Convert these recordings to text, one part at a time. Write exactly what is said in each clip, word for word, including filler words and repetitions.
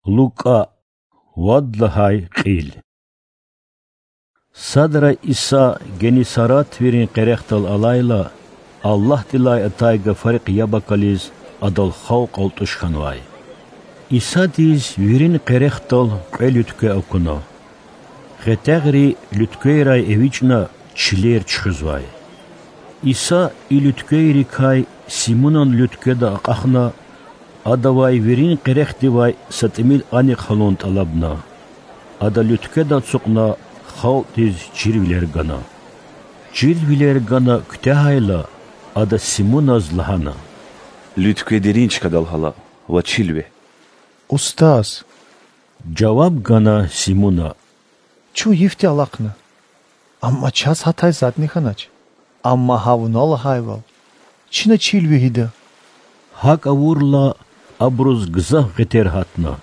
Лукӏа. Вад лагьай кьил. Садра Иса Геннисарет вирин къерехдал алайла, Аллагьдилай атай гафарихъ яб акализ, Адал халкь алтӏуш хьанвай. Исадиз вирин къерехдал кьве луьткве акуна. Гъетягъри луьтквейрай эвичӏна, чилер чуьхуьзвай. Иса и луьтквейрикай Симунан луьткведа акьахна, адавай вирин къерехдивай са тӏимил анихъ гьалун тӏалабна. Ада луьткведа ацукьна, халкьдиз чирвилер гана. Чирвилер гана куьтягьайла, ада Симуназ лагьана: Луьткве дерин чкадал гьала ва чил вегь. Устаз, жаваб гана Симуна, чун йифди алахъна, амма чаз гьатай затӏни хьанач. Амма гьа вуна лагьайвал, чина чил вегьида. Гьакӏ авурла, абуруз гзаф гъетер гьатна.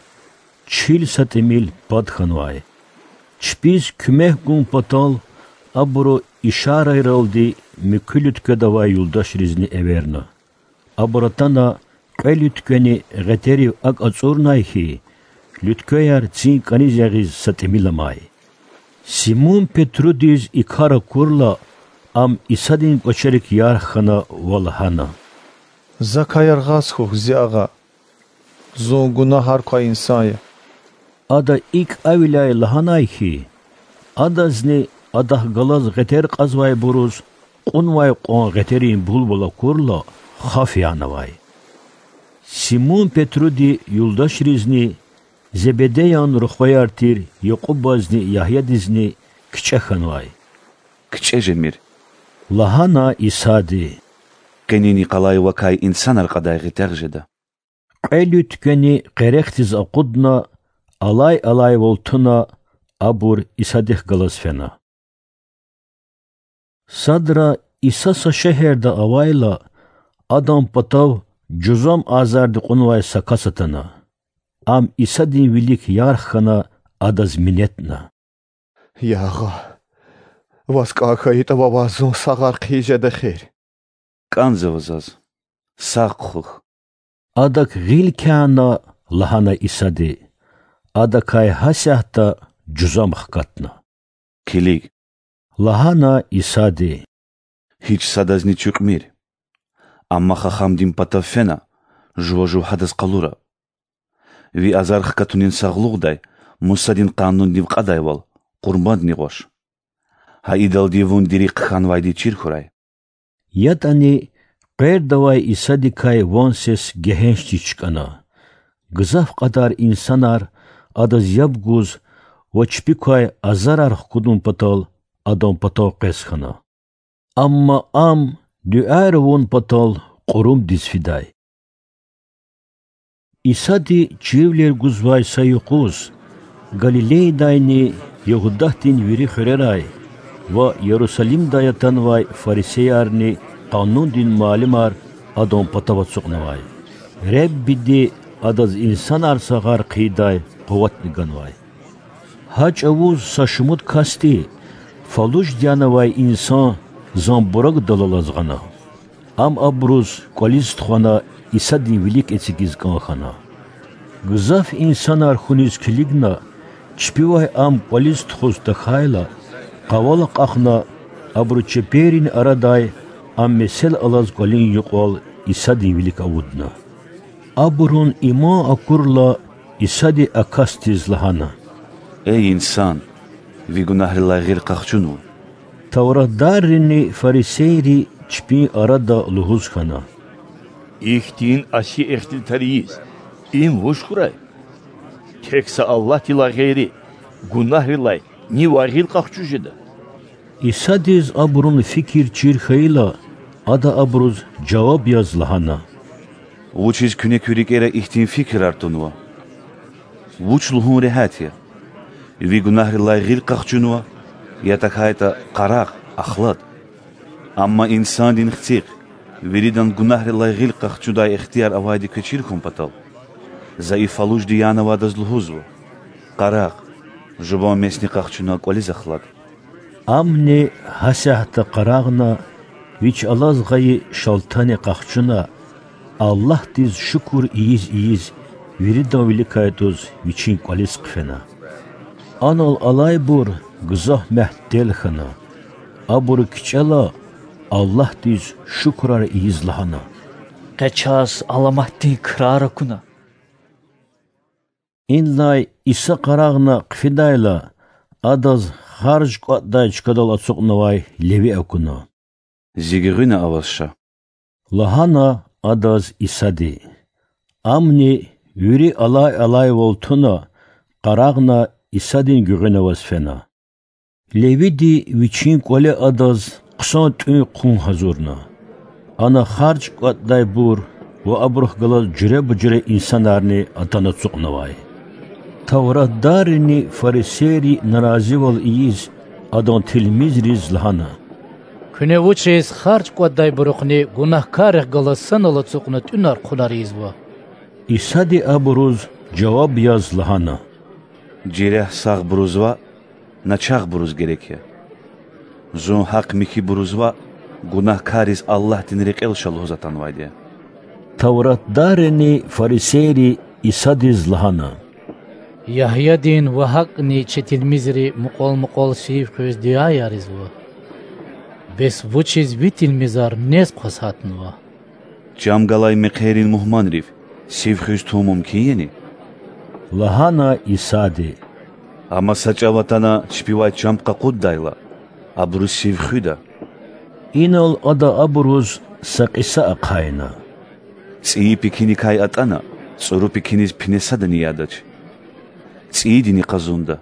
Чил са тӏимил пад хьанвай. Чпиз куьмек гун патал абуру ишарайралди муькуь луьткведавай юлдашризни эверна. Абур атана, кьве луьтквени гъетерив акӏ ацӏурнай хьи, луьтквеяр цин кӏаниз ягъиз са тӏимил амай. Симун-Петрудиз и кар акурла, ам Исадин кӏвачерик ярх хьана ва лагьана: Закай яргъаз хьухь, зи Агъа. Зун гунагьар квай инсан я. Ада икӏ а виляй лагьанай хьи, адазни адахъ галаз гъетер кьазвайбуруз кьунвай кьван гъетерин булбул акурла, хаф янавай. Симун-Петруди юлдашризни, Зебедеян рухваяр тир Якьубазни Ягьядизни кичӏе хьанвай. Кичӏе жемир,– лагьана Исади. Къенин йикъалай вакай инсанар кьадай гъетягъ жеда. Кьве луьтквени къерехдиз акъудна, алай-алайвал туна, абур Исадихъ галаз фена. Садра Иса са шегьерда авайла, Адан патав жузам азарди кьунвай са кас атана. Ам Исадин вилик ярх хьана, Адаз минетна: Я Агъа, Ваз кӏан хьайитӏа, Вавай зун сагъар хъийиз жеда эхир. КӀанзава заз, сагъ хъхьухь. Адак гъил кяна,– лагьана Исади. Адакай гьасятда жузам хкатна. Килиг,– лагьана Исади,– гьич садазни чуькьмир. Амма хахамдин патав фена, жува жув гьадаз къалура. Ви азар хкатунин сагълугъдай Мусадин Къанундив кьадайвал къурбандни гъваш. Гьа идалди вун дири хъхьанвайди чир хьурай. ЯтӀани къвердавай Исадикай ван-сес гегьеншдиз чкӀана. Гзаф кьадар инсанар Адаз яб гуз ва чпикай азарар хкудун патал Адан патав къвез хьана. Амма Ам дуьаяр авун патал кьурумдиз фидай. Исади чирвилер гузвай са юкъуз Галилейдайни Ягьудатдин вири хуьрерай ва Ярусалимдай атанвай фарисеярни къанундин муаллимар Адан патав ацукьнавай. Реббиди Адаз инсанар сагъар хъийидай къуватни ганвай. Гьа чӀавуз са шумуд касди фалужди янавай инсан занбурагдал алаз гъана. Ам абуруз кӀвализ тухвана Исадин вилик эцигиз кӀан хьана. Гзаф инсанар хьуниз килигна, чпивай Ам кӀвализ тухуз тахьайла, къавал акьахна, абуру чеперин арадай Ам месел алаз кӀвалин юкьвал Исадин вилик авудна. Абурун иман акурла, Исади а касдиз лагьана: Эй инсан, ви гунагьрилай гъил къахчунва. Тавратдаррини фарисейри чпин арада лугьуз хьана: Ихьтин аси ихтилатар ийиз, им вуч хьурай? Тек са Аллагьдилай гъейри гунагьрилай нивай гъил къахчуз жеда? Исадиз абурун фикир чир хьайила, Ада абуруз жаваб яз лагьана: Вучиз куьне куь рикӀера ихьтин фикирар тунва? Вуч лугьун регьят я: ви гунагьрилай гъил къахчунва, я тахьайтӀа къарагъ, ахлад? Амма Инсандин Хцихъ виридан гунагьрилай гъил къахчудай ихтияр авайди квез чир хьун патал, за и фалужди янавайдаз лугьузва: къарагъ, жуван месни къахчуна кӀвализ ахлад. Амни гьасятда къарагъна, вич алаз гъайи шалтани къахчуна, Аллагьдиз шукур ийиз-ийиз, виридан виликай атӀуз Вичин кӀвализ хъфена. Анал алайбур гзаф мягьтел хьана. Абуру кичӀела Аллагьдиз шукурар ийиз лагьана: Къе чаз аламатдин крар акуна. Инлай Иса къарагъна хъфидайла, Адаз харж кӀватӀдай чкадал ацукьнавай Леви акуна. Зи гуьгъуьна аваз ша,– лагьана Адаз Исади. Амни, вири алай-алайвал туна, къарагъна Исадин гуьгъуьна аваз фена. Левиди вичин кӀвале Адаз хъсан тӀуьн-хъун гьазурна. Ана харж кӀватӀдайбур ва абурухъ галаз жуьреба-жуьре инсанарни атана ацукьнавай. Тавратдаррини фарисейри наразивал ийиз, Адан тилмизриз лагьана: Куьне вучиз харж кӀватӀдайбурухъни гунагькаррихъ галаз санал ацукьна тӀуьнар-хъунар ийизва? Исади абуруз жаваб яз лагьана: Жерягь сагъбуруз ваъ, начагъбуруз герек я. Зун гьахъ-михьибуруз ваъ, гунагькарриз Аллагьдин рекьел ша лугьуз атанвайди я. Тавратдаррини фарисейри Исадиз лагьана: Ягьядин ва гьакӀни чи тилмизри мукьвал-мукьвал сив хуьз дуьаяр ийизва. Бес вучиз ви тилмизар нез хъваз гьатнава? Чам галай мехъерин мугьманрив сив хуьз тун мумкин яни? лагьана Исади. Амма са чӀав атана чпивай чам къакъуддайла, абуру сив хуьда. Инал Ада абуруз са кьиса ахъайна: ЦӀийи пекиникай атӀана, цӀуру пекиниз пине садани ядач. ЦӀийидини къазунда.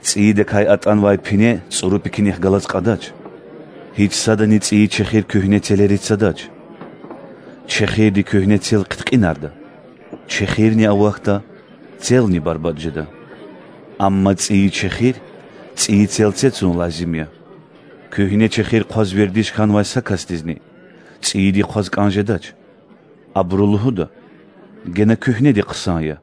ЦӀийидакай атӀанвай пине цӀуру пекинихъ галаз кьадач. Гьич садани цӀийи чехир куьгьне целериз цадач. Чехирди куьгьне цел хъиткьинарда, чехирни авахьда, целни барбатӀ жеда. Амма цӀийи чехир цӀийи целце цун лазим я. Куьгьне чехир хъваз вердиш хьанвай са касдизни цӀийиди хъваз кӀан жедач. Абуру лугьуда: Гена куьгьнеди хъсан я.